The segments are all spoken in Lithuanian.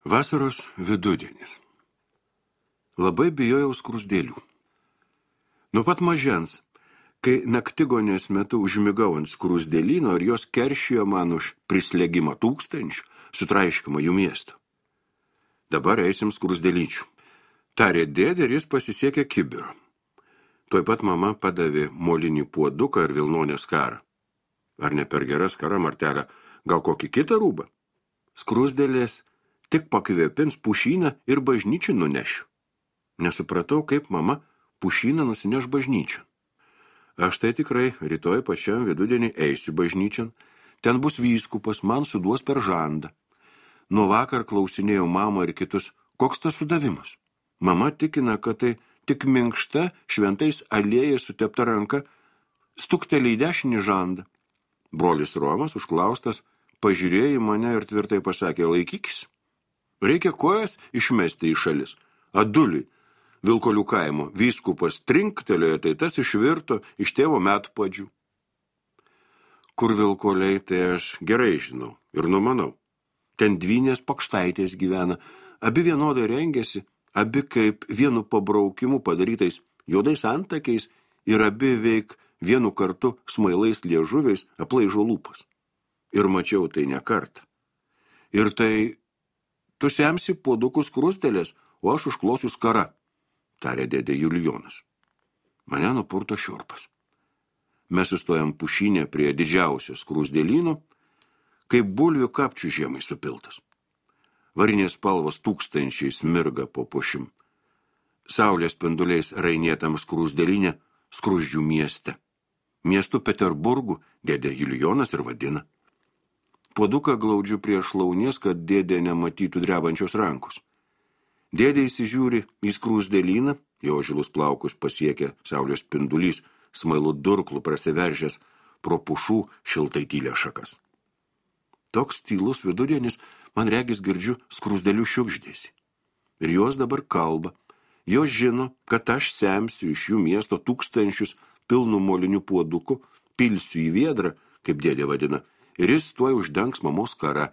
Vasaros vidudienis. Labai bijojau skruzdėlių. Nuo pat mažens, kai naktigonės metu užmigau ant skruzdėlyno ir jos keršijo man už prislėgimą tūkstančių, sutraiškimą jų miesto. Dabar eisim skruzdėlyčių. Tarė dėdė ir jis pasisiekė kibirą. Tuoj pat mama padavė molinį puoduką ir vilnonę skarą. Ar ne per gera skara, Martelė, gal kokį kitą rūbą? Skruzdėlės tik pakvėpins pušyną ir bažnyčią nunešiu. Nesupratau, kaip mama pušyną nusineš bažnyčią. Aš tai tikrai rytoj pačiam vidudienį eisiu bažnyčian. Ten bus vyskupas, man suduos per žandą. Nuo vakar klausinėjau mamą ir kitus, koks tas sudavimas. Mama tikina, kad tai tik minkšta, šventais aliejais sutepta ranka, stuktelė į dešinį žandą. Brolis Romas, užklaustas, pažiūrėjo į mane ir tvirtai pasakė, laikykis. Reikia kojas išmesti į šalis. Aduliui, Vilkolių kaimo, vyskupas trinktelėjo, tai tas išvirto iš tėvo metpadžių. Kur Vilkoliai, tai aš gerai žinau ir numanau. Ten dvynės pakštaitės gyvena, abi vienodai rengėsi, abi kaip vienu pabraukimu padarytais juodais antakiais ir abi veik vienu kartu smailais liežuviais aplaižo lūpas. Ir mačiau tai ne kartą. Ir tai tu semsi puodukus skruzdėlės, o aš užklosiu skarą, tarė dėdė Julijonas. Mane nupurto šiurpas. Mes sustojam pušynę prie didžiausio skruzdėlyno, kaip bulvių kapčių žiemai supiltas. Varinės spalvos tūkstančiais mirga po pušim. Saulės spinduliais rainėtam skruzdėlyne skruzdžių mieste. Miestu Peterburgu dėdė Julijonas ir vadina. Puoduką glaudžiu prie šlaunies, kad dėdė nematytų drebančios rankos. Dėdė įsižiūri į skruzdėlyną, jo žilus plaukus pasiekia saulės spindulys, smailu durklų prasiveržęs pro pušų šiltai tylę šakas. Toks tylus vidudienis, man regis girdžiu skruzdėlių šiugždėsi. Ir jos dabar kalba. Jos žino, kad aš semsiu iš jų miesto tūkstančius pilnų molinių puodukų, pilsiu į viedrą, kaip dėdė vadina, ir jis tuoj uždengs mamos skarą,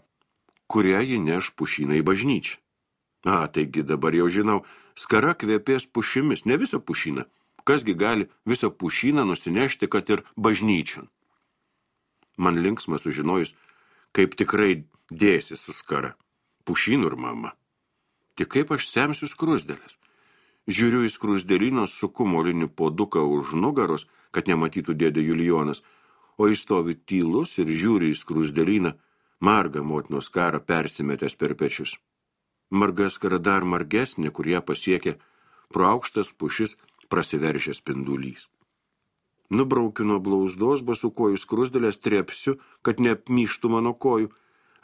kurią ji neš pušyną į bažnyčią. Taigi dabar jau žinau, skara kvepės pušimis, ne visą pušyną. Kasgi gali visą pušyną nusinešti, kad ir bažnyčion. Man linksma sužinojus, kaip tikrai dėsi su skara, pušynų ir mama. Tik kaip aš semsiu skruzdėlės. Žiūriu į skruzdėlyną, suku molinį puoduką už nugaros, kad nematytų dėdė Julijonas, o jis stovi tylus ir žiūri į skruzdėlyną, margą motinos skarą persimetęs per pečius. Marga skara dar margesnė, kur ją pasiekė pro aukštas pušis prasiveržęs spindulys. Nubraukiu nuo blauzdos basų kojų skruzdėlės, trepsiu, kad neapmyštų mano kojų.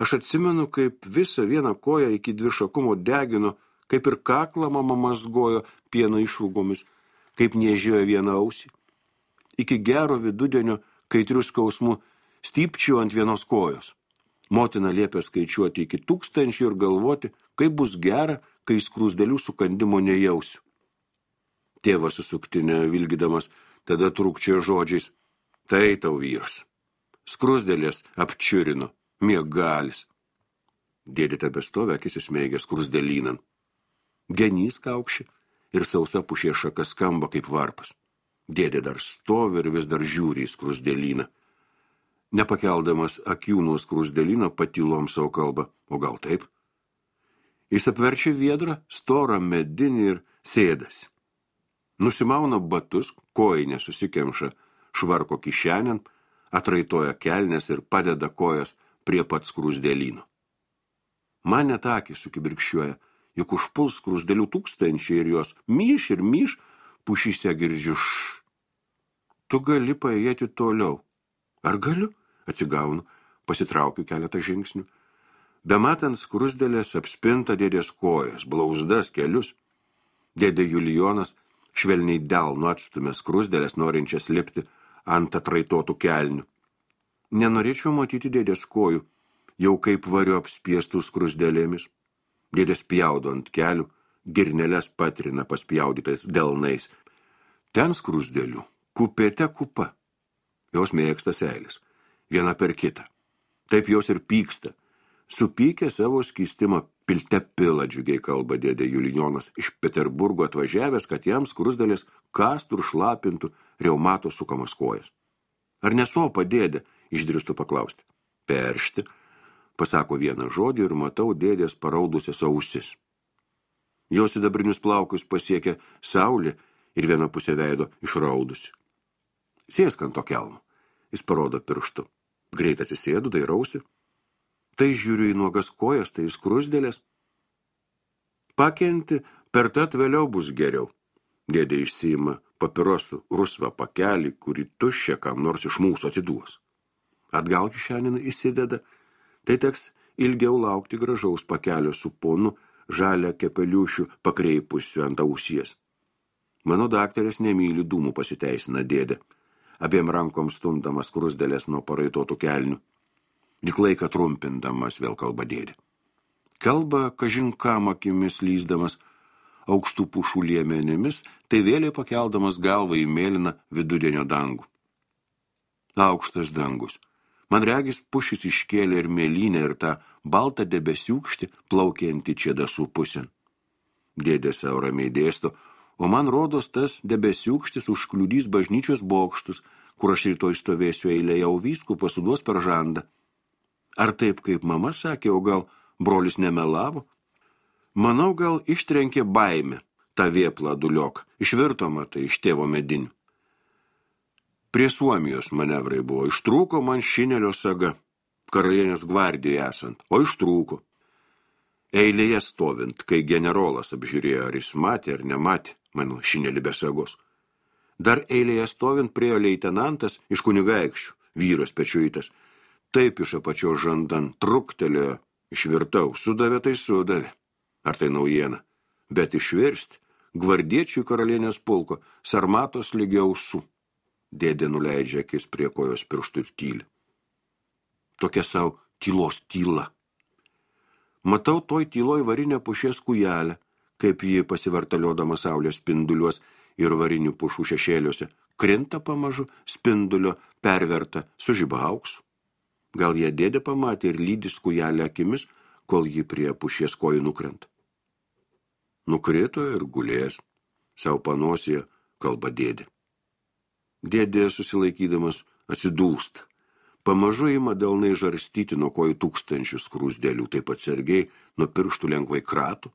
Aš atsimenu, kaip visą vieną koją iki dvišakumo degino, kaip ir kaklą mama mazgojo pieno išrūgomis, kaip niežėjo vieną ausį. Iki gero vidudienio kaitrių skausmų stypčiau ant vienos kojos. Motina liepė skaičiuoti iki 1000 ir galvoti, kaip bus gera, kai skruzdėlių sukandimo nejausiu. Tėvas susuktinė vilgydamas, tada trūkčiojo žodžiais, tai tau vyras. Skruzdėlės apčiurino, miegalis. Dėdė tebestovė, akis įsmeigė skruzdėlynan. Genys kaukši ir sausa pušė šaka skamba kaip varpas. Dėdė dar stovi ir vis dar žiūri į skruzdėlyną. Nepakeldamas akių nuo skruzdėlyno patylom savo kalbą, o gal taip? Jis apverčia viedrą, storą medinį ir sėdasi. Nusimauna batus, kojinė susikemša švarko kišenėn, atraitoja kelnes ir padeda kojas prie pat skruzdėlyno. Man net akys sukibirkščiuoja, juk užpuls skruzdėlių tūkstančiai ir jos myš ir myš, pušyse girdžiu Tu gali paėjėti toliau. Ar galiu? Atsigaunu, pasitraukiu keletą žingsnių. Bematant skruzdėlės apspinta dėdės kojas, blauzdas, kelius. Dėdė Julijonas švelniai delnu atstumė skruzdėlės, norinčias lipti ant atraitotų kelnių. Nenorėčiau matyti dėdės kojų, jau kaip variu apspiestų skruzdėlėmis. Dėdės pjaudo ant kelių, girneles patrina paspjaudytais delnais. Ten skruzdėlių, kupėte kupa. Jos mėgsta seilės, viena per kitą. Taip jos ir pyksta. Supykę savo skystimą Pilte pila, džiugiai kalba dėdė Julijonas iš Peterburgo atvažiavęs, kad jam skrusdėlės kastų ir šlapintų reumato sukamas kojas. Ar nesopa dėdė, išdrįstu paklausti. Peršti, pasako vieną žodį ir matau dėdės paraudusias ausis. Jos sidabrinius plaukus pasiekia saulė ir viena pusė veido išraudusi. Sėsk ant to kelmo, jis parodo pirštu. Greit atsisėdu, dairausi. Tai žiūriu į nuogas kojas, tai į skrusdėlės. Pakenti, per tad vėliau bus geriau. Dėdė išsiima papirosų rusvą pakelį, kurį tuščia kam nors iš mūsų atiduos. Atgal kišenin įsideda, tai teks ilgiau laukti gražaus pakelio su ponu žalia kepeliušių pakreipusiu ant ausies. Mano daktarės nemyli dūmų, pasiteisina dėdė, abiem rankom stumdamas skrusdėlės nuo paraitotų kelnių. Lyg laiką trumpindamas vėl kalba dėdė. Kalba, kažin kam akimis lyzdamas, aukštų pušų liemenėmis, tai vėliai pakeldamas galvą į mėlyną vidudienio dangų. Aukštas dangus. Man regis pušis iškėlė ir mėlynę ir tą baltą debesiūkštį plaukiantį čia dasų pusėn. Dėdė savo ramiai dėsto, o man rodos tas debesiūkštis užkliudys bažnyčios bokštus, kur aš rytoj stovėsiu eilėje, o vyskupas suduos per žandą. Ar taip, kaip mama sakė, o gal brolis nemelavo? Manau, gal ištrenkė baimę tą vėplą duliok, išvirto matai iš tėvo medinių. Prie Suomijos manevrai buvo, ištrūko man šinelio saga, karalienės gvardijai esant, o ištrūko. Eilėje stovint, kai generolas apžiūrėjo, ar jis matė ar nematė mano šinelį be sagos. Dar eilėje stovint priejo leitenantas iš kunigaikščių, vyras pečiuitas, taip iš apačios žandan truktelėjo, išvirtau, sudavė tai sudavė. Ar tai naujiena? Bet išvirsti, gvardiečių karalienės pulko, sarmatos lygi ausų. Dėdė nuleidžia akis prie kojos pirštų ir tyli. Tokia savo tylos tyla. Matau toj tyloj varinę pušies kujelę, kaip ji pasivartaliodama saulės spinduliuos ir varinių pušų šešėliuose, krinta pamažu spindulio perverta su žiba auksu. Gal jie dėdė pamatė ir lydis kujelę akimis, kol ji prie pušies kojų nukrenta. Nukrito ir gulės, savo panosėje kalba dėdė. Dėdė susilaikydamas atsidūsta. Pamažu ima delnai žarstyti nuo kojų tūkstančius skrusdėlių, taip atsargiai nuo pirštų lengvai kratų,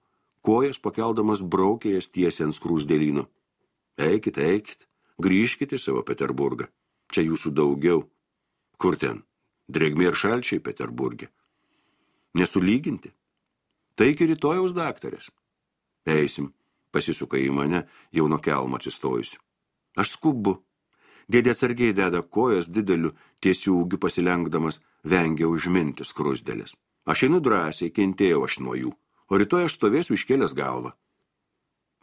kojas pakeldamas braukė jas tiesiai ant skrusdėlyno. Eikit, eikit, grįžkite į savo Peterburgą. Čia jūsų daugiau. Kur ten? Drėgmė ir šalčiai Peterburge. Nesulyginti. Taigi rytojaus daktarės. Eisim, pasisuka į mane, jau nuo kelmo atsistojusi. Aš skubu. Dėdė atsargiai deda kojas dideliu tiesių ūgiu pasilenkdamas, vengia užminti skrusdėlės. Aš einu drąsiai, kentėjau aš nuo jų, o rytoj aš stovėsiu iškėlęs galvą.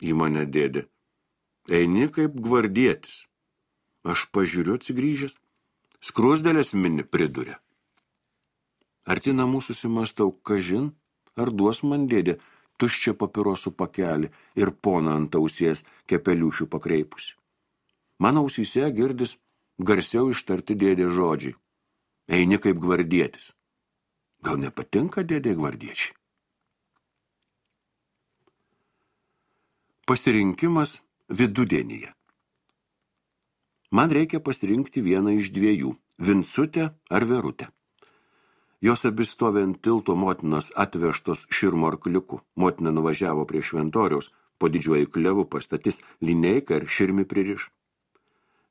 Į mane dėdė. Eini kaip gvardietis. Aš pažiūriu atsigrįžęs. Skrusdėlės mini priduria. Arti namų susimastau, kažin, ar duos man dėdė tuščią papirosų pakelį ir poną ant ausies kepeliušių pakreipusi. Mano ausyse girdis garsiau ištarti dėdė žodžiai. Eini kaip gvardietis. Gal nepatinka dėdė gvardiečiai? Pasirinkimas vidudienyje. Man reikia pasirinkti vieną iš dviejų, Vincutę ar Verutę. Jos abi stovi ant tilto motinos atvežtos širmo arkliuku. Motina nuvažiavo prie šventoriaus, po didžiuoju klevu pastatys lineiką ir širmi pririš.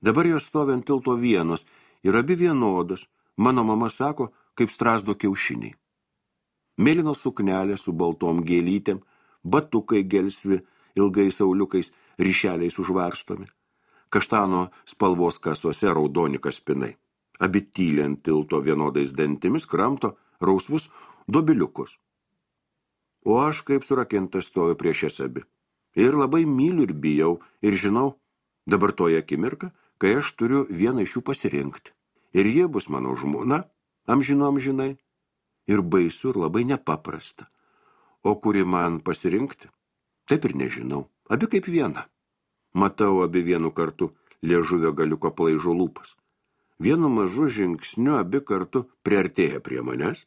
Dabar jos stovi ant tilto vienos ir abi vienodos, mano mama sako, kaip strazdo kiaušiniai. Mėlynos suknelė su baltom gėlytėm, batukai gelsvi, ilgais sauliukais, ryšeliais užvarstomi. Kaštano spalvos kasose raudoni kaspinai. Abi tyli ant tilto vienodais dantimis kramto rausvus dobiliukus. O aš kaip surakintas stoju prieš jas abi. Ir labai myliu ir bijau, ir žinau, dabar toje akimirka, kai aš turiu vieną iš jų pasirinkti. Ir jie bus mano žmona, amžinai, ir baisu, ir labai nepaprasta. O kuri man pasirinkti? Taip ir nežinau. Abi kaip viena. Matau abi vienu kartu liežuvio galiuko plaižo lūpas. Vienu mažu žingsniu abi kartu priartėja prie manęs.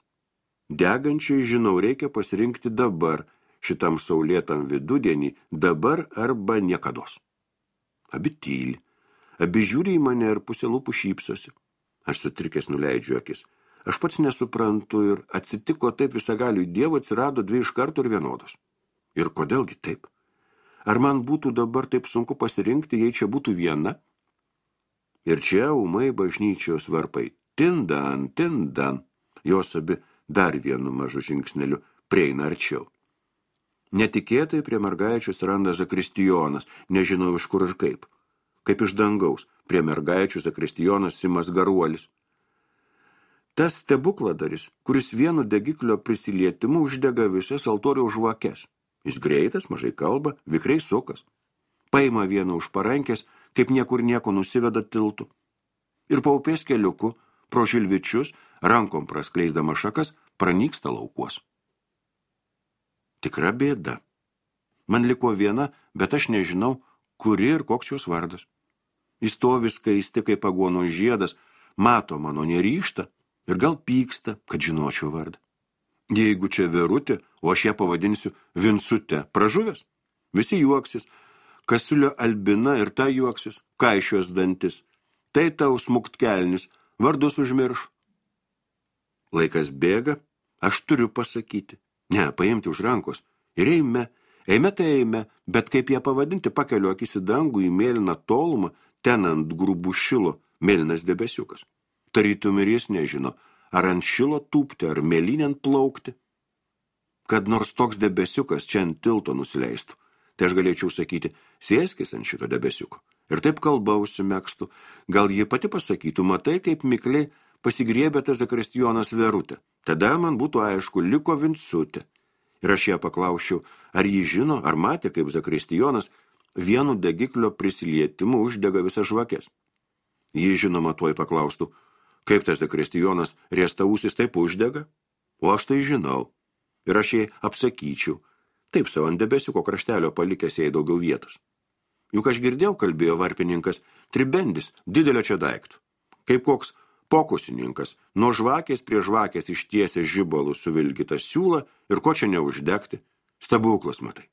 Degančiai, žinau, reikia pasirinkti dabar, šitam saulėtam vidudienį, dabar arba niekados. Abi tyli, abi žiūri į mane ir pusė lūpų šypsosi. Aš sutrikęs nuleidžiu akis. Aš pats nesuprantu ir atsitiko taip visagaliui Dievo atsirado dvi iš karto ir vienodos. Ir kodėlgi taip? Ar man būtų dabar taip sunku pasirinkti, jei čia būtų viena? Ir čia ūmai bažnyčios varpai. Tindan, tindan. Jos abi dar vienu mažu žingsneliu prieina arčiau. Netikėtai prie mergaičių randa Zakristijonas, nežinau iš kur ir kaip. Kaip iš dangaus, prie mergaičių Zakristijonas Simas Garuolis. Tas stebukladaris, kuris vienu degiklio prisilietimu uždega visas altoriaus žvakes. Jis greitas, mažai kalba, vikriai sukas. Paima vieną už parankės, kaip niekur nieko nusiveda tiltu. Ir paupės keliuku, pro žilvičius, rankom praskleisdama šakas, pranyksta laukuos. Tikra bėda. Man liko viena, bet aš nežinau, kuri ir koks jos vardas. Jis stovi skaisti kaip aguono žiedas, mato mano neryžtą ir gal pyksta, kad žinočiau vardą. Jeigu čia Verutė, o aš ją pavadinsiu Vincute, pražuvęs, visi juoksis, Kasiulio Albina ir ta juoksis, kaišios dantis, tai tau smuktkelnis, vardus užmirš. Laikas bėga, aš turiu pasakyti, ne, paimti už rankos ir eime tai eime, bet kaip ją pavadinti, pakeliu akis į dangų, į mėlyną tolumą, ten ant grubų šilo mėlynas debesiukas. Tarytum ir jis nežino, ar ant šilo tūpti, ar mėlynėn plaukti. Kad nors toks debesiukas čia ant tilto nusileistų, tai aš galėčiau sakyti, sėskis ant šito debesiuko. Ir taip kalba užsimegztų, gal ji pati pasakytų, matai, kaip mikliai pasigriebė tas Zakristijonas Verutė. Tada man būtų aišku, liko Vincutė. Ir aš ją paklausčiau, ar ji žino, ar matė, kaip Zakristijonas vienu degiklio prisilietimu uždega visas žvakes. Ji žinoma tuoj paklaustų, kaip tas Zakristijonas riestausis taip uždega? O aš tai žinau. Ir aš jai apsakyčiau, taip savo ant debesiuko kraštelio palikęs jai daugiau vietos. Juk aš girdėjau, kalbėjo varpininkas, tribendis didelio čia daiktų. Kaip koks pokusininkas, nuo žvakės prie žvakės ištiesė žibalų suvilgytą siūlą ir ko čia neuždegti. Stebuklas, matai.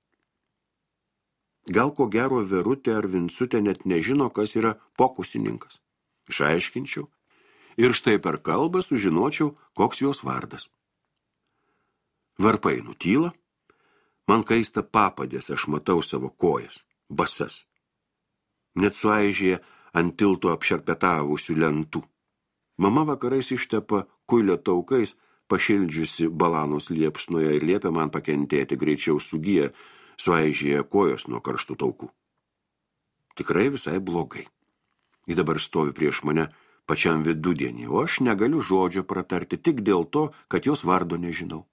Gal ko gero Verutė ar Vincutė net nežino, kas yra pokusininkas. Išaiškinčiau. Ir štai per kalbą sužinočiau, koks jos vardas. Varpai nutyla, man kaista papadės, aš matau savo kojas, basas. Net suaižėja ant tilto apšerpetavusių lentų. Mama vakarais ištepa kuilio taukais, pašildžiusi balanos liepsnoje ir liepia man pakentėti, greičiau sugyja, suaižėja kojos nuo karštų taukų. Tikrai visai blogai. Ji dabar stovi prieš mane pačiam vidudienį, o aš negaliu žodžio pratarti tik dėl to, kad jos vardo nežinau.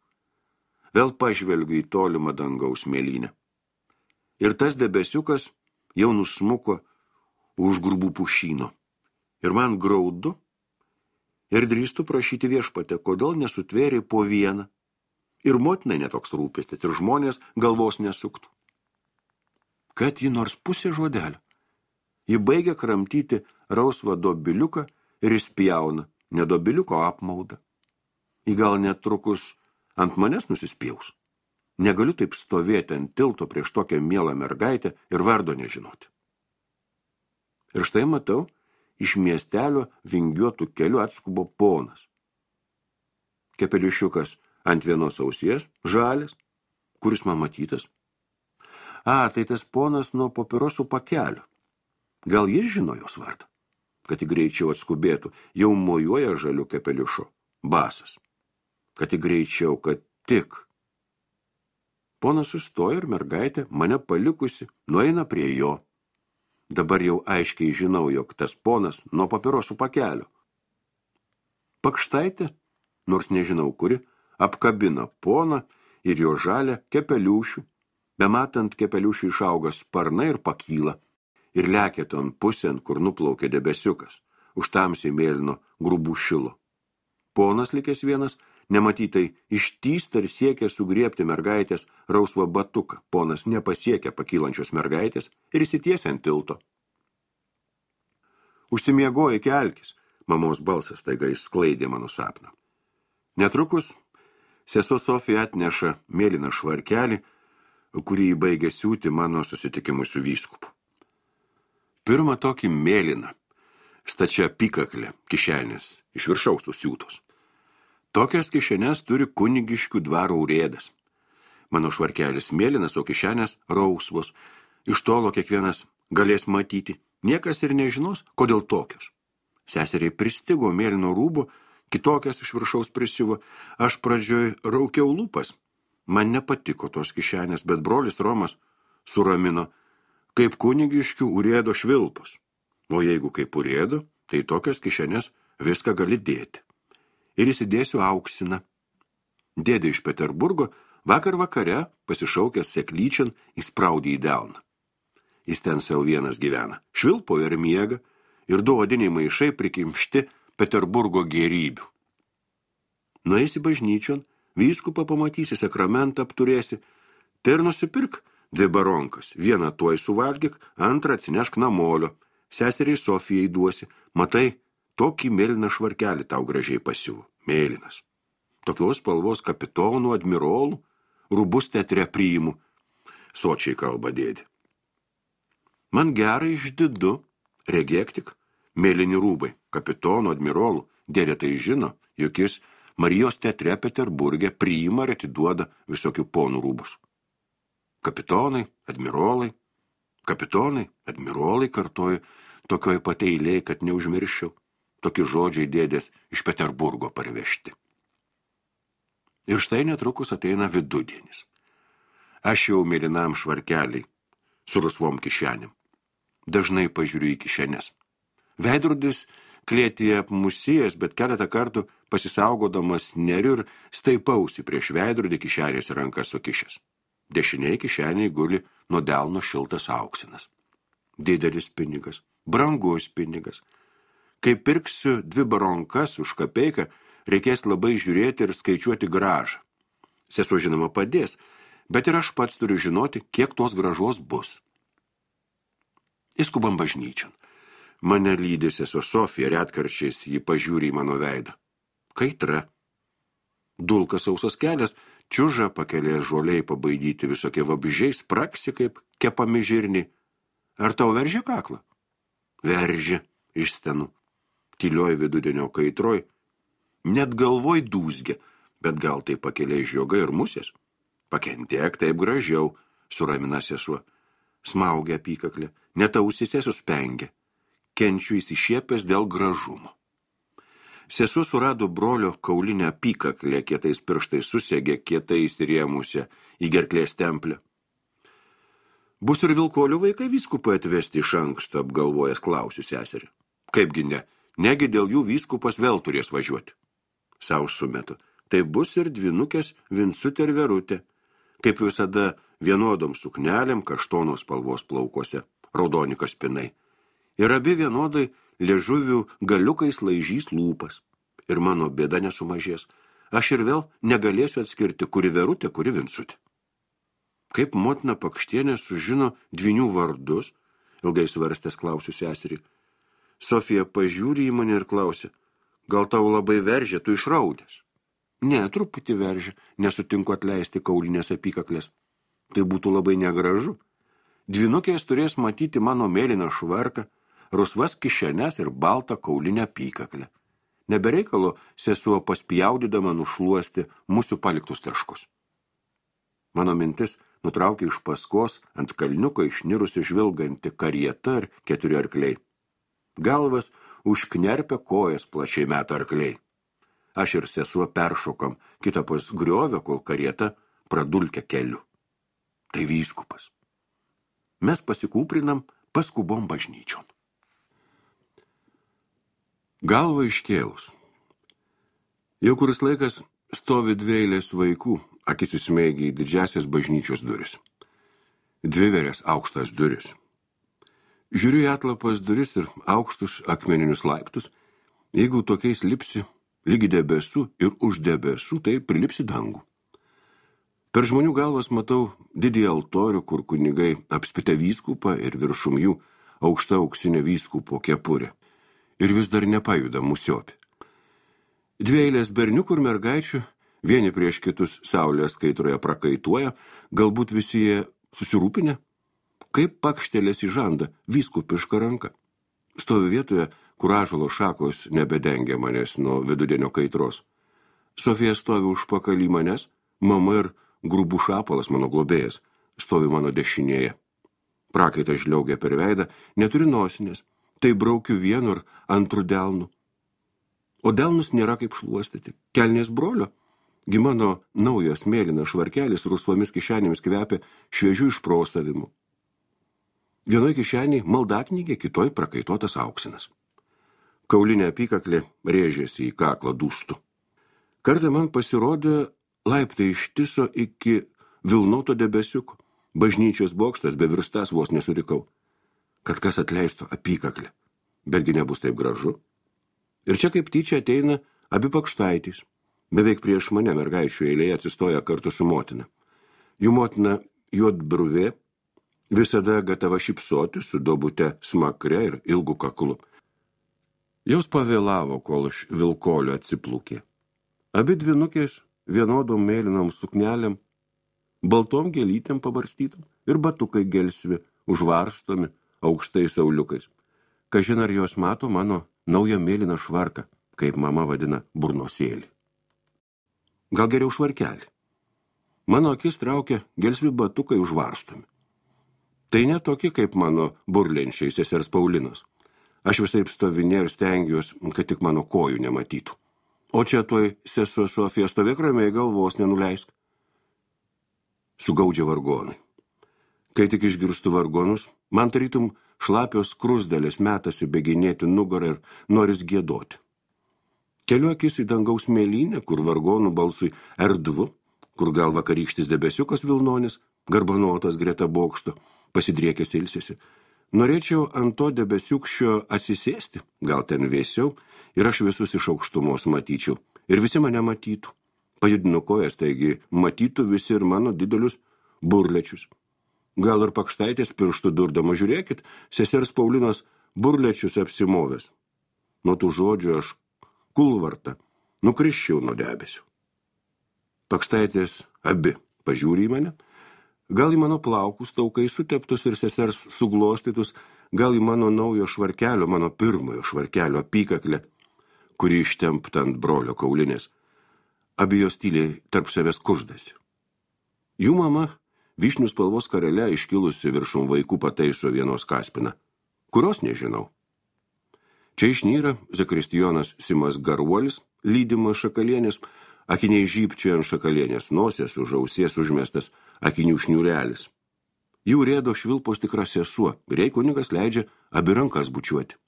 Vėl pažvelgiu į tolimą dangaus mėlynę. Ir tas debesiukas jau nusmuko už grubų pušyno. Ir man graudu ir drįstu prašyti Viešpatę, kodėl nesutvėrė po vieną. Ir motinai netoks rūpestis, ir žmonės galvos nesuktų. Kad ji nors pusė žodelio. Ji baigia kramtyti rausvą dobiliuką ir įspjauna, ne dobiliuko apmaudą. Ji gal netrukus ant manęs nusispjaus. Negaliu taip stovėti ant tilto prieš tokią mielą mergaitę ir vardo nežinoti. Ir štai matau, iš miestelio vingiuotų kelių atskubo ponas. Kepeliušiukas ant vienos ausies, žalias, kuris man matytas. Tai tas ponas nuo papirosų pakelio. Gal jis žino jos vardą, kad jį greičiau atskubėtų, jau mojuoja žaliu kepeliušu, basas. Kad jį greičiau, kad tik. Ponas sustoja ir mergaitė, mane palikusi, nueina prie jo. Dabar jau aiškiai žinau, jog tas ponas nuo papirosų pakelio. Pakštaitė, nors nežinau kuri, apkabina poną ir jo žalę kepeliušių. Bematant kepeliušių išauga sparnai ir pakyla. Ir lekia ton pusėn, kur nuplaukė debesiukas, už tamsiai mėlyno grubų šilo. Ponas likęs vienas, nematytai ištįsta ir siekia sugriebti mergaitės rausvą batuką. Ponas nepasiekia pakylančios mergaitės ir įsitiesia ant tilto. Užsimiegoja kelkis, mamos balsas taiga išsklaidė mano sapną. Netrukus Sesuo Sofija atneša mėlyną švarkelį, kurį įbaigė siūti mano susitikimui su vyskupu. Pirmą tokį mėlyną, stačia apykaklę kišenės iš viršaus susiūtos. Tokias kišenes turi kunigiškių dvaro urėdas. Mano švarkelis mėlynas, o kišenės rausvos. Iš tolo kiekvienas galės matyti. Niekas ir nežinos, kodėl tokios. Seseriai pristigo mėlyno rūbo, kitokias iš viršaus prisiuvo. Aš pradžioj raukiau lūpas. Man nepatiko tos kišenės, bet brolis Romas suramino, kaip kunigiškių urėdo švilpos. O jeigu kaip urėdo, tai tokias kišenės viską gali dėti. Ir įsidėsiu auksiną. Dėdė iš Peterburgo vakar vakare, pasišaukęs seklyčian, įspraudė į delną. Jis ten savo vienas gyvena. Švilpo ir miega, ir du odiniai maišai prikimšti Peterburgo gėrybių. Nueisi bažnyčion, vyskupą pamatysi, sakramentą apturėsi, tai ir nusipirk 2 baronkas. Vieną tuoj suvalgyk, antrą atsinešk namolio. Seseriai Sofijai duosi. Matai, tokį mėlyną švarkelį tau gražiai pasiuvo. Mėlynas. Tokios spalvos kapitonų, admirolų, rūbus teatre priimu. Sočiai kalba dėdė. Man gerai išdidu, regėk tik, mėlyni rūbai, kapitonų, admirolų. Dėdė tai žino, juk jis Marijos teatre Peterburge priima ir atiduoda visokių ponų rūbus. Kapitonai, admirolai, kartoju, tokioj pat eilėj, kad neužmirščiau. Tokie žodžiai dėdės iš Peterburgo parvežti. Ir štai netrukus ateina vidudienis. Aš jau mėlynam švarkeliai su rusvom kišenėm. Dažnai pažiūriu į kišenės. Veidrodis klėtyje apmusėjęs, bet keletą kartų pasisaugodamas neriu ir staipausi prieš veidrodį kišenės rankas sukišęs. Dešiniai kišeniai guli nuo delno šiltas auksinas. Didelis pinigas, brangus pinigas. Kai pirksiu 2 baronkas už kapeiką, reikės labai žiūrėti ir skaičiuoti gražą. Sesuo žinoma padės, bet ir aš pats turiu žinoti, kiek tos gražos bus. Įskubam bažnyčion. Mane lydi sesuo Sofija, retkarčiais ji pažiūri į mano veidą. Kaitra. Dulkas sausas kelias, čiuža pakelės žoliai pabaidyti visokie vabžiai, spraksi kaip kepami žirniai. Ar tau veržia kaklą? Veržia, išstenu. Tylioj vidudienio kaitroj. Net galvoj dūzgia, bet gal tai pakeliai žiogai ir musės. Pakentiek taip gražiau, suramina sesuo. Smaugia apykaklę, net ausyse suspengia. Kenčiu įsišiepęs dėl gražumo. Sesuo surado brolio kaulinę apykaklę, kietais pirštais susegė, kietai įsirėmusią į gerklės templę. Bus ir Vilkolių vaikai vyskupą atvesti iš anksto, apgalvojęs klausiu seserį. Kaipgi ne, negi dėl jų vyskupas vėl turės važiuoti. Sau sumetu, tai bus ir dvinukės Vincutė ir Verutė, kaip visada vienodom suknelėm kaštonos spalvos plaukuose, raudoni kaspinai. Ir abi vienodai liežuvių galiukais laižys lūpas. Ir mano bėda nesumažės. Aš ir vėl negalėsiu atskirti, kuri Verutė, kuri Vincutė. Kaip motina Pakštienė sužino dvinių vardus, ilgai svarstęs klausiu seserį. Sofija pažiūri į mane ir klausia, gal tau labai veržia, tu išraudęs? Ne, truputį veržia, nesutinku atleisti kaulinės apykaklės. Tai būtų labai negražu. Dvinukės turės matyti mano mėlyną švarką, rusvas kišenes ir baltą kaulinę apykaklę. Nebereikalo sesuo paspjaudydama nušluosti mūsų paliktus taškus. Mano mintis nutraukė iš paskos ant kalniuko išnirusi žvilganti karieta ir 4 arkliai. Galvas užknerpia kojas plačiai meta arkliai. Aš ir sesuo peršokam kitapus griovio, kol karieta pradulkia keliu. Tai vyskupas. Mes pasikūprinam, paskubom bažnyčion. Galva iškėlus. Jau kuris laikas stovi 2 eilės vaikų, akis įsmeigia į didžiasias bažnyčios duris. 2 verės aukštas duris. Žiūriu į atlapas duris ir aukštus akmeninius laiptus. Jeigu tokiais lipsi lygi debesų ir už debesų, tai prilipsi dangų. Per žmonių galvas matau didį altorių, kur kunigai apspitę vyskupą ir viršum jų aukšta auksinė vyskupo kepurė. Ir vis dar nepajuda musiopė. 2 eilės berniukų ir mergaičių Vieni prieš kitus saulės kaitroje prakaituoja, galbūt visi jie susirūpinę. Kaip pakštelės į žandą vyskupiška ranka. Stovi vietoje, kur ąžuolo šakos nebedengia manęs nuo vidudienio kaitros. Sofija stovi užpakalį manęs, mama ir grubų šapalas mano globėjas stovi mano dešinėje. Prakaitas žliaugia per veidą, neturi nosinės, tai braukiu vienu ir antru delnu. O delnus nėra kaip šluostyti. Kelnės brolio, gi mano naujas mėlynas švarkelis rusvomis kišenėmis kvepia šviežių išprosavimu. Vienoj kišeniai maldaknygė, kitoj prakaituotas auksinas. Kaulinė apykaklė rėžėsi į kaklą dūstų. Kartą man pasirodė laiptai ištiso iki vilnoto debesiuko. Bažnyčios bokštas bevirstas vos nesurikau. Kad kas atleistų apykaklę, betgi nebus taip gražu. Ir čia kaip tyčia ateina abi pakštaitys. Beveik prieš mane mergaičių eilėje atsistoja kartu su motina. Jų motina juodbruvė, visada gatava šypsoti su duobute smakre ir ilgu kaklu. Jos pavėlavo, kol iš vilkolio atsiplūkė. Abi dvinukės vienodom mėlynom suknelėm, baltom gėlytėm pabarstytom ir batukai gelsvi, užvarstomi aukštais sauliukais. Kažin ar jos mato mano naują mėlyną švarką, kaip mama vadina burnosėlį. Gal geriau švarkelį. Mano akis traukia gelsvi batukai užvarstomi. Tai ne tokie kaip mano burlenčiai sesers Paulinos. Aš visaip stovinė ir stengiuos, kad tik mano kojų nematytų. O čia toj sesuo Sofija stovėk ramiai, galvos nenuleisk. Sugaudžia vargonai. Kai tik išgirstu vargonus, man tarytum šlapios krusdelės metasi beginėti nugarą ir noris giedoti. Keliu akis į dangaus mėlynę, kur vargonų balsui erdvu, kur gal vakarykštis debesiukas vilnonis, garbanotas greta bokšto, pasidriekęs ilsisi. Norėčiau ant to debesiukščio atsisėsti, gal ten vėsiau, ir aš visus iš aukštumos matyčiau, ir visi mane matytų. Pajudinu kojas, taigi matytų visi ir mano didelius burlečius. Gal ir pakštaitės pirštų durdama, žiūrėkit, sesers Paulinos burlečius apsimovęs. Nuo tų žodžių aš kulvartą nukrisčiau nuo debesių. Pakštaitės abi pažiūri į mane, gal į mano plaukus taukai suteptus ir sesers suglostytus, gal į mano naujo švarkelio, mano pirmojo švarkelio apykaklę, kuri ištempta ant brolio kaulinės. Abi jos tyliai tarp savęs kuždasi. Jų mama vyšnių spalvos karele iškilusi viršum vaikų pataiso vienos kaspiną, kurios nežinau. Čia išnyra zakristijonas Simas Garuolis, lydimas šakalienės, akiniai žybčioja ant šakalienės nosės, už ausies užmestas akinių šniūrelis. Jų rėdo švilpos tikra sesuo, ir jai kunigas leidžia abi rankas bučiuoti.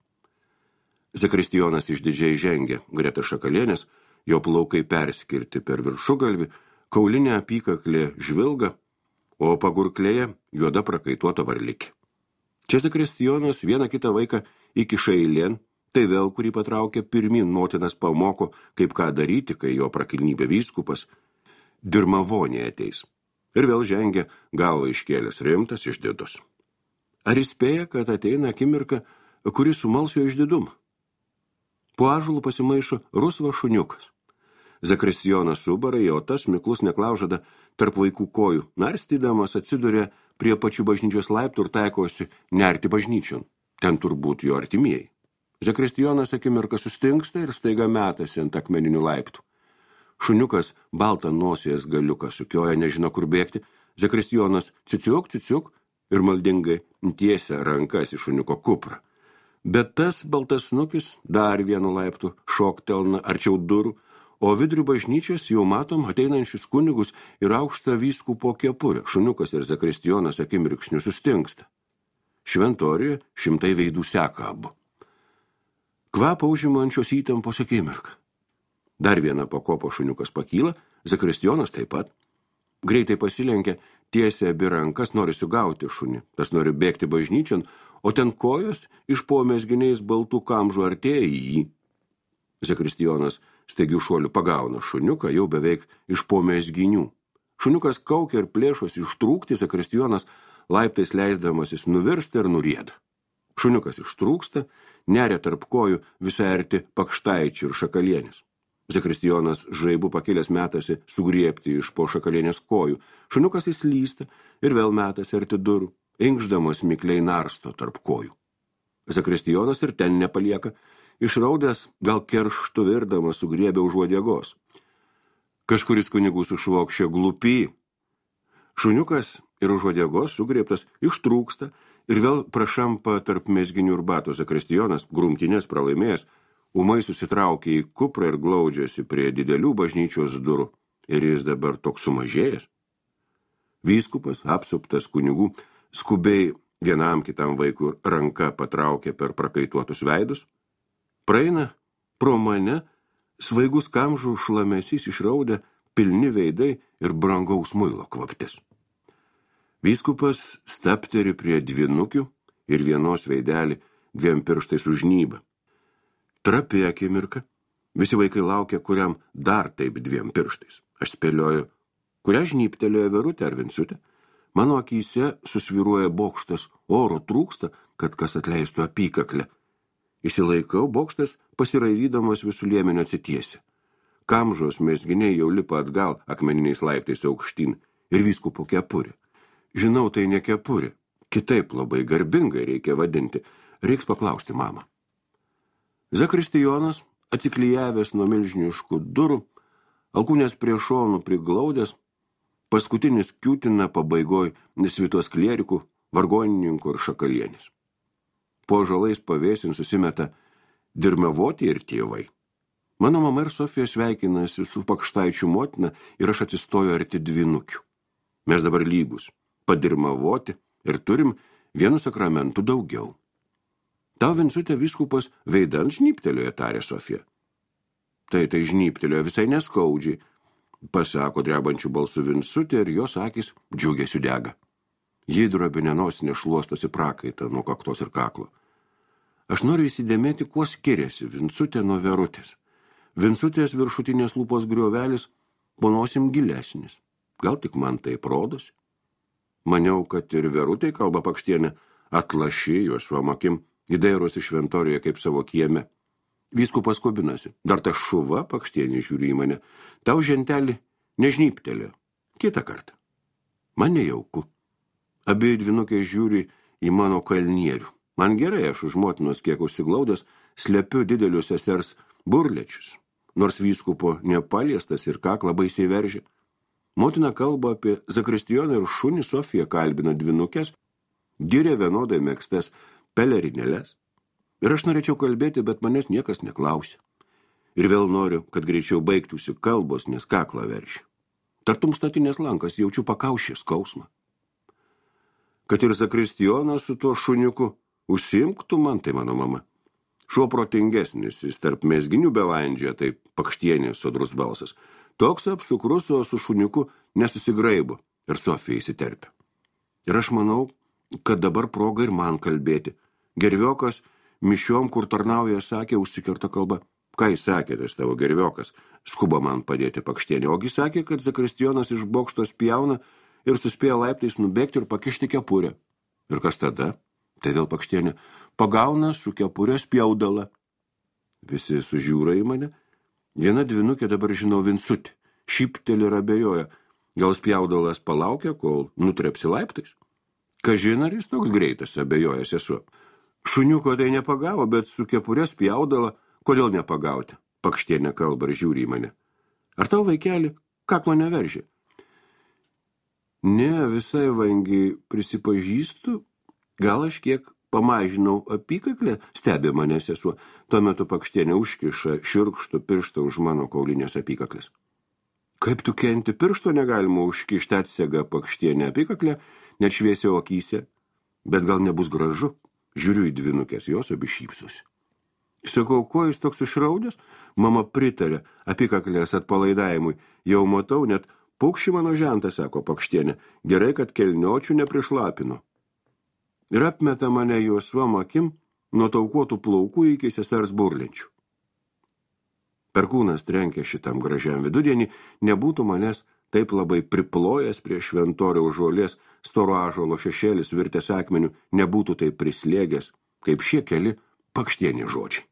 Zakristijonas išdidžiai žengia greta šakalienės, jo plaukai perskirti per viršugalvį, kaulinė apykaklė žvilga, o pagurklėje juoda prakaituota varlikė. Čia zakristijonas vieną kitą vaiką įkiša eilėn, tai vėl kurį patraukia pirmin motinas pamoko, kaip ką daryti, kai jo prakilnybė vyskupas dirmavonė ateis. Ir vėl žengia galvą iškėlęs rimtas išdidus. Ar įspėja, kad ateina akimirka, kuri sumals jo išdidumą? Po ąžuolų pasimaišo rusvas šuniukas. Zakristijonas subarai, o tas miklus neklaužada tarp vaikų kojų, narstydamas atsiduria prie pačių bažnyčios laiptų ir taikosi nerti bažnyčion. Ten turbūt jo artimieji. Zakristijonas akimirką sustingsta ir staiga metasi ant akmeninių laiptų. Šuniukas baltą nosies galiuką sukioja, nežino kur bėgti. Zakristijonas ciciuk ir maldingai tiesia rankas į šuniuko kuprą. Bet tas baltas snukis dar vienu laiptu šoktelna arčiau durų, o vidurių bažnyčios jau matom ateinančius kunigus ir aukštą vyskupo kepurę. Šuniukas ir zakristijonas akimirksniu sustingsta. Šventorijoje 100 veidų seka abu. Kvapą užimančios įtampos akimirką. Dar vieną pakopo šuniukas pakyla, zakristijonas taip pat. Greitai pasilenkia, tiesia abi rankas, nori sugauti šunį. Tas nori bėgti bažnyčion, o ten kojos iš po mezginiais baltų kamžų artėja į jį. Zakristijonas staigių šuolių pagauna šuniuką jau beveik iš po mezginių. Šuniukas kaukia ir plėšosi ištrūkti, zakristijonas laiptais leisdamasis nuvirsta ir nurieda. Šuniukas ištrūksta, neria tarp kojų visai arti pakštaičių ir šakalienės. Zakristijonas žaibu pakilęs metasi sugriebti iš po šakalienės kojų. Šuniukas įslysta ir vėl metasi arti durų, inkšdamas mikliai narsto tarp kojų. Zakristijonas ir ten nepalieka, išraudęs gal kerštu virdamas sugriebė už uodegos. Kažkuris kunigų sušvokščia glupy. Šuniukas ir už uodegos sugriebtas ištrūksta ir vėl prašampa tarp mezginių ir batų. Zakristijonas, grumtynės pralaimėjęs, ūmai susitraukė į kuprą ir glaudžiasi prie didelių bažnyčios durų. Ir jis dabar toks sumažėjęs. Vyskupas, apsuptas kunigų, skubiai vienam kitam vaikui ranka patraukė per prakaituotus veidus. Praeina pro mane svaigus kamžų šlamesys išraudę, pilni veidai ir brangaus muilo kvaptis. Vyskupas stapteri prie dvinukių ir vienos veidelį 2 pirštais užnyba. Trapi akimirka. Visi vaikai laukia, kuriam dar taip 2 pirštais. Aš spėlioju, kurią žnyptelėjo Verutė ar Vincutė. Mano akyse susviruoja bokštas, oro trūksta, kad kas atleistų apykaklę. Įsilaikau, bokštas pasiraivydamas visų liemenio atsitiesia. Kamžos mezginiai jau lipa atgal akmeniniais laiptais aukštyn ir vyskupo kepurė. Žinau, tai ne kepurė. Kitaip labai garbingai reikia vadinti. Reiks paklausti mamą. Zakristijonas, atsiklijavęs nuo milžiniškų durų, alkūnės prie šonų priglaudęs, paskutinis kiūtina pabaigoj svitos klierikų, vargonininkų ir šakalienės. Po žalais pavėsin susimeta dirmevoti ir tėvai. Mano mama ir Sofija sveikinasi su Pakštaičių motina ir aš atsistoju arti dvinukių. Mes dabar lygus, padirmavoti ir turim 1 sakramentų daugiau. Tau, Vincutė, vyskupas veidan žnyptelėjo, tarė Sofija. Tai žnyptelėjo visai neskaudžiai, pasako drebančių balsų Vincutė ir jos akis džiugesiu dega. Ji drobinė nosinė šluostosi prakaitą nuo kaktos ir kaklo. Aš noriu įsidėmėti, kuo skiriasi Vincutė nuo Verutės. Vincutės viršutinės lūpos griovelis ponosim gilesnis. Gal tik man taip rodosi. Maniau, kad ir Verutė kalba Pakštienė atlaši juosvom akim. Įdairosi šventorijoje kaip savo kieme. Vyskupas kubinasi. Dar ta šuva Pakštienė žiūri į mane. Tau žentelį nežnyptelėjo. Kitą kartą. Man nejauku. Abi dvinukės žiūri į mano kalnierių. Man gerai, aš už motinos kiek užsiglaudęs slepiu didelius sesers burlečius. Nors vyskupo nepaliestas ir kaklą baisiai veržia. Motina kalba apie Zakristijoną ir šunį, Sofija kalbina dvinukės, giria vienodai mėgstas pelerinėlės. Ir aš norėčiau kalbėti, bet manęs niekas neklausia. Ir vėl noriu, kad greičiau baigtųsi kalbos, nes kaklą veršiu. Tartum statinės lankas jaučiu pakaušį skausmą. Kad ir Zakristijonas su tuo šuniuku užsiimktų man, tai mano mama. Šuo protingesnis, jis tarp mezginių belandžia, tai Pakštienės sodrus balsas. Toks apsukrus, o su šuniuku nesusigraibo ir Sofija įsiterpia. Ir aš manau, kad dabar proga ir man kalbėti. Gerviokas mišiom, kur tarnauja, sakė, užsikirta kalba. Ką jis sakė, tas tavo gerviokas? Skuba man padėti Pakštienė. Ogi sakė, kad Zakristijonas iš bokšto spjauna ir suspėja laiptais nubėgti ir pakišti kepurę. Ir kas tada? Tai vėl Pakštienė pagauna su kepurė spjaudalą. Visi sužiūra į mane. Viena dvinukė dabar žinau Vincutė. Šypteli ir abejoja. Gal spjaudalas palaukia, kol nutrepsi laiptais? Kažin ar jis toks greitas, abejoja sesuo. Šuniuko tai nepagavo, bet su kepurė spjaudala, kodėl nepagauti? Pakštienė kalba ir žiūri į mane. Ar tau, vaikeli, kaklo neveržė? Ne, visai vangiai prisipažįstu, gal aš kiek pamažinau apykaklę, stebi mane sesuo. Tuo metu Pakštienė užkiša širkštų pirštą už mano kaulinės apykaklės. Kaip tu kenti, piršto negalima užkišti, atsega Pakštienė apykaklę, net šviesiau akyse, bet gal nebus gražu. Žiūriu į dvinukės, jos abi šypsosi. Sakau, ko jis toks išraudęs? Mama pritarė apykaklės atpalaidavimui. Jau matau, net paukščių mano žentą, sako Pakštienė. Gerai, kad kelniočių neprišlapino. Ir apmeta mane juosvom akim nuo taukuotų plaukų iki sesers burlenčių. Perkūnas trenkė šitam gražiam vidudienį, nebūtų manęs taip labai priplojęs prie šventoriaus žolės, storo ąžuolo šešėlis virtęs akmeniu, nebūtų taip prislėgęs, kaip šie keli Pakštienės žodžiai.